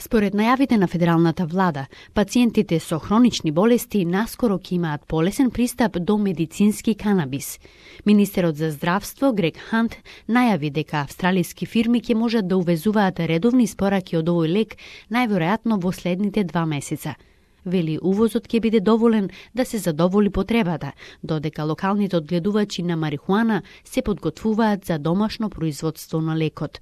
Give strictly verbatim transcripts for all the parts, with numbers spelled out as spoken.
Според најавите на федералната влада, пациентите со хронични болести наскоро ќе имаат полесен пристап до медицински канабис. Министерот за здравство Грег Хант најави дека австралиски фирми ќе можат да увезуваат редовни испораки од овој лек најверојатно во следните два месеца. Вели увозот ќе биде доволен да се задоволи потребата, додека локалните одгледувачи на марихуана се подготвуваат за домашно производство на лекот.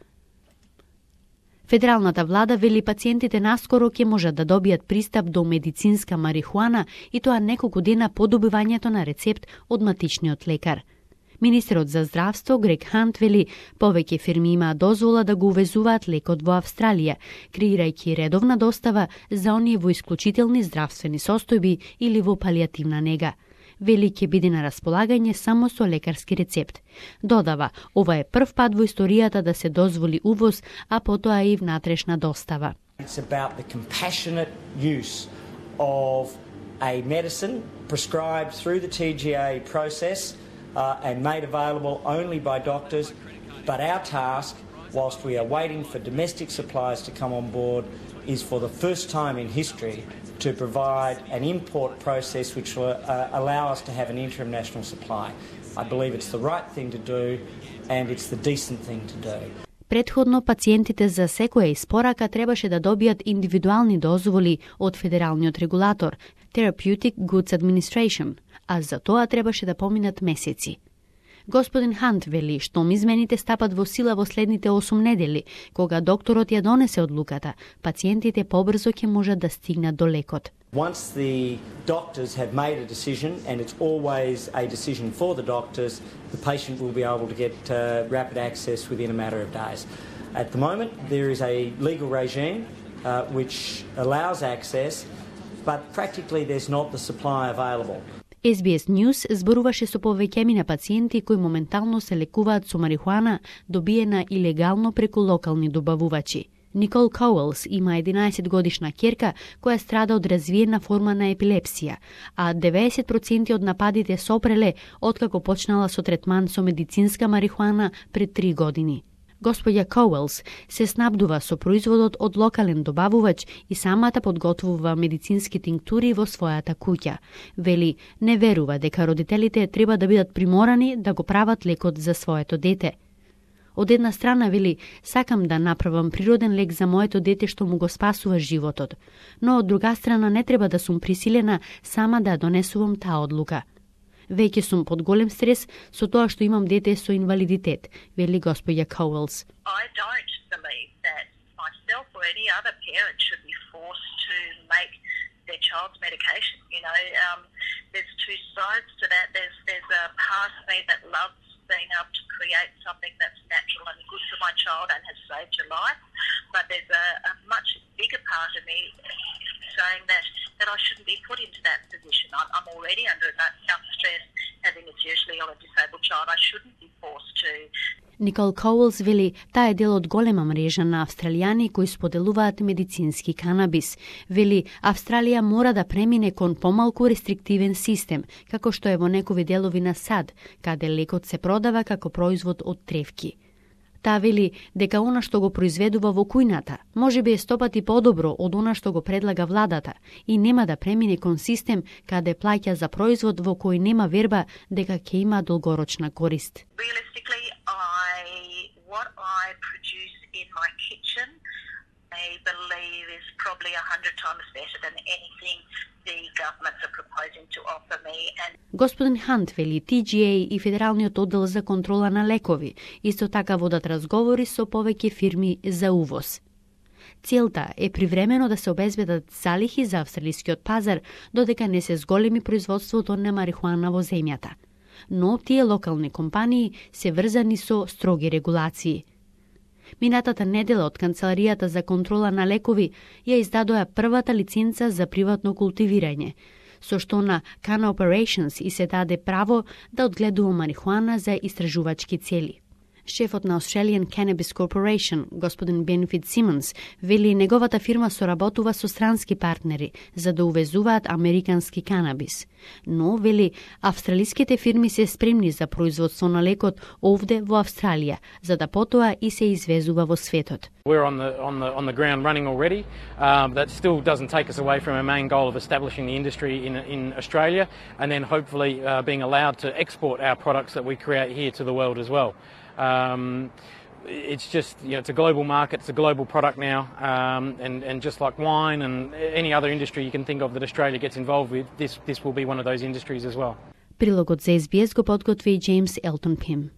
Федералната влада вели пациентите наскоро ќе можат да добијат пристап до медицинска марихуана и тоа неколку дена по добивањето на рецепт од матичниот лекар. Министерот за здравство Грег Хант вели повеќе фирми имаат дозвола да го увезуваат лекот во Австралија, креирајќи редовна достава за оние во исклучителни здравствени состојби или во палијативна нега. Вели ќе биде на располагање само со лекарски рецепт. Додава, ова е прв пат во историјата да се дозволи увоз, а потоа и внатрешна достава. It's about the compassionate use of a medicine prescribed through the T G A process uh, and made available only by doctors, but our task, whilst we are waiting for domestic supplies to come on board, is for the first time in history to provide an import process which will uh, allow us to have an international supply. I believe it's the right thing to do and it's the decent thing to do. Претходно пациентите за секоја испорака требаше да добијат индивидуални дозволи од федералниот регулатор Therapeutic Goods Administration, а за тоа требаше да поминат месеци. Господин Хант вели штом измените стапат во сила во следните осум недели, кога докторот ја донесе одлуката, пациентите побрзо ќе можат да стигнат до лекот. Once the doctors have made a decision, and it's always a decision for the doctors, the patient will be able to get uh, rapid access within a matter of days. At the moment, there is a legal regime uh, which allows access, but practically there's not the supply available. Ес Би Ес News зборуваше со повеќеми на пациенти кои моментално се лекуваат со марихуана добиена илегално преку локални добавувачи. Никол Коуелс има единаесет годишна ќерка која страда од развиена форма на епилепсија, а деветдесет проценти од нападите сопреле откако почнала со третман со медицинска марихуана пред три години. Господја Коуелс се снабдува со производот од локален добавувач и самата подготвува медицински тинктури во својата куќа. Вели, не верува дека родителите треба да бидат приморани да го прават лекот за своето дете. Од една страна вели, сакам да направам природен лек за моето дете што му го спасува животот, но од друга страна не треба да сум присилена сама да донесувам таа одлука. Веќе сум под голем стрес со тоа што имам дете со инвалидитет, вели господја Коуелс. I don't believe that myself or any other parent should be forced to make their child's medication. You know, um, there's two sides to that. There's there's a part of me that loves being able to create something that's natural and good for my child and has saved your life, but there's a, a much bigger part of me saying that that I shouldn't be put into that position. I'm, I'm already under enough stress having a seriously ill and disabled child. I shouldn't be forced to. Никол Коуелс вели, таа е дел од голема мрежа на австралијани кои споделуваат медицински канабис. Вели, Австралија мора да премине кон помалку рестриктивен систем, како што е во некои делови на САД, каде лекот се продава како производ од тревки. Таа вели дека она што го произведува во кујната може би е стопати подобро од она што го предлага владата и нема да премине кон систем каде плаќа за производ во кој нема верба дека ќе има долгорочна корист. Realistically, I what I produce in my kitchen, I believe is probably a hundred times better than anything the governments are proposing to offer me. And Господин Хант вели Ти Джи Ей и Федералниот оддел за контрола на лекови исто така водат разговори со повеќе фирми за увоз. Целта е привремено да се обезбедат залихи за австралискиот пазар додека не се зголеми производството на марихуана во земјата. Но тие локални компании се врзани со строги регулации. Минатата недела од Канцеларијата за контрола на лекови ја издадоа првата лиценца за приватно култивирање, со што на Canna Operations и се даде право да одгледува марихуана за истражувачки цели. Шефот на Australian Cannabis Corporation, господин Бенефит Симонс, вели неговата фирма соработува со странски партнери за да увезуваат американски канабис. Но, вели, австралиските фирми се спремни за производство на лекот овде во Австралија, за да потоа и се извезува во светот. We're on the on the on the ground running already. Um, that still doesn't take us away from our main goal of establishing the industry in in Australia, and then hopefully uh, being allowed to export our products that we create here to the world as well. Um, it's just, you know, it's a global market, it's a global product now, um, and and just like wine and any other industry you can think of that Australia gets involved with, this this will be one of those industries as well. Прилогот за Ес Би Ес го подготви Джеймс Елтон Пим.